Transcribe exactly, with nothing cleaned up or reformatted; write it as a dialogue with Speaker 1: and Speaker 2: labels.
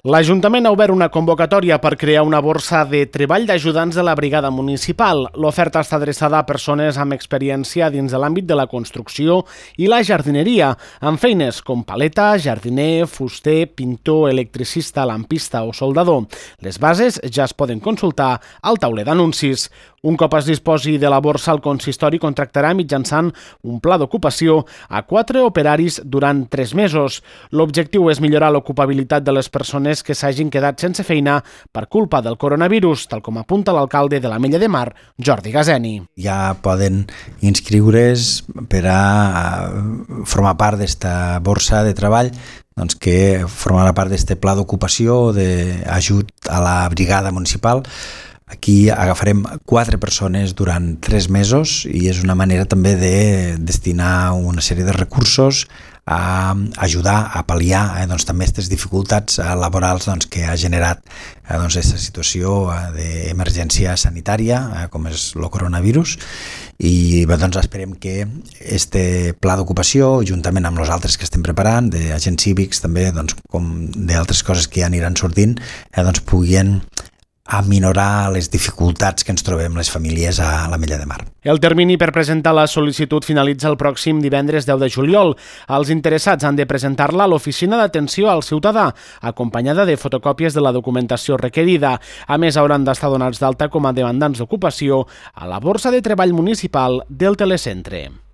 Speaker 1: L'Ajuntament ha obert una convocatòria per crear una borsa de treball d'ajudants de la brigada municipal. L'oferta està adreçada a persones amb experiència dins de l'àmbit de la construcció i la jardineria, amb feines com paleta, jardiner, fuster, pintor, electricista, lampista o soldador. Les bases ja es poden consultar al tauler d'anuncis. Un cop es disposi de la borsa, el consistori contractarà mitjançant un pla d'ocupació a quatre operaris durant tres mesos. L'objectiu és millorar l'ocupabilitat de les persones que s'hagin quedat sense feina per culpa del coronavirus, tal com apunta l'alcalde de l'Ametlla de Mar, Jordi Gazeni.
Speaker 2: Ja poden inscriure's per a formar part d'esta borsa de treball, doncs que formarà part d'este pla d'ocupació d'ajut a la brigada municipal. Aquí agafarem quatre persones durant tres mesos i és una manera també de destinar una sèrie de recursos a ajudar a pal·liar eh, doncs, també aquestes dificultats laborals doncs, que ha generat eh, doncs, aquesta situació eh, d'emergència sanitària, eh, com és el coronavirus, i bé, doncs, esperem que este pla d'ocupació, juntament amb els altres que estem preparant, d'agents cívics també, doncs, com d'altres coses que ja aniran sortint, eh, doncs, puguin a minorar les dificultats que ens trobem les famílies a l'Ametlla de Mar.
Speaker 1: El termini per presentar la sol·licitud finalitza el pròxim divendres deu de juliol. Els interessats han de presentar-la a l'Oficina d'Atenció al Ciutadà, acompanyada de fotocòpies de la documentació requerida. A més, hauran d'estar donats d'alta com a demandants d'ocupació a la Borsa de Treball Municipal del Telecentre.